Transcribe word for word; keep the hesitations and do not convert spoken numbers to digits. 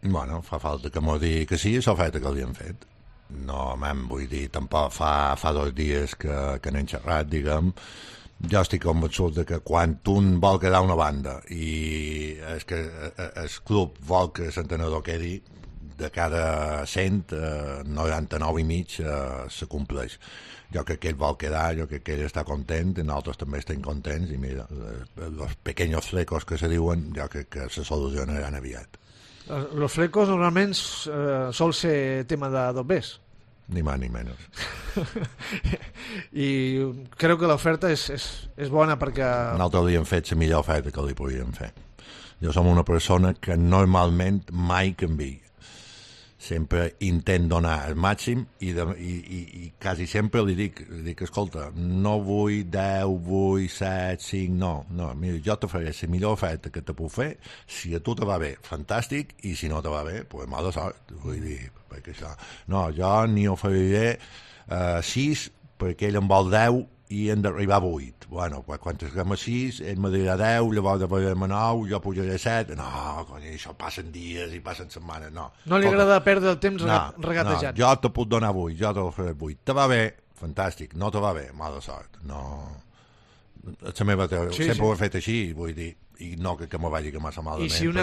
Bueno, fa falta que m'ho digui que sí, l'oferta que li han fet. No, man, vull dir, tampoc fa, fa dos dies que, que n'hem xerrat, diguem. Jo estic convençut de que quan un vol quedar una banda i és que el club vol que l'entrenador quedi, de cada cent, eh, noranta-nou i mig eh, se compleix. Jo crec que ell vol quedar, jo crec que ell està content, i nosaltres també estem contents, i mira, els pequeños flecos que se diuen, jo crec que se solucionaran aviat. Los flecos normalment eh, sol ser tema de dobbers. Ni más ni menos. I crec que l'oferta és, és, és bona perquè... Nosaltres li hem fet la millor oferta que li podíem fer. Jo som una persona que normalment mai canvia. Sempre intent donar el màxim i, de, i, i, i quasi sempre li dic, li dic, escolta, no vull deu, vull set, cinc, no, no, mira, jo te faré la millor oferta que te puc fer, si a tu te va bé, fantàstic, i si no te va bé, pues mala sort, vull dir, perquè això, no, jo ni oferiré eh, sis, perquè ell en vol deu i hem d'arribar a vuit. Bueno, pues, quan estem a sis, ell me dirà deu, llavors arribarem a nou, jo pujaré a set. No, cony, això passen dies i passen setmanes, no. No li agrada perdre el temps no, regatejant. No, jo te puc donar vuit, jo te faré vuit. Te va bé, fantàstic. No te va bé, mala sort. No... La meva teoria, sí, sempre sí. Ho he fet així, vull dir, i no que, que m'ho vagi que massa malament. I si una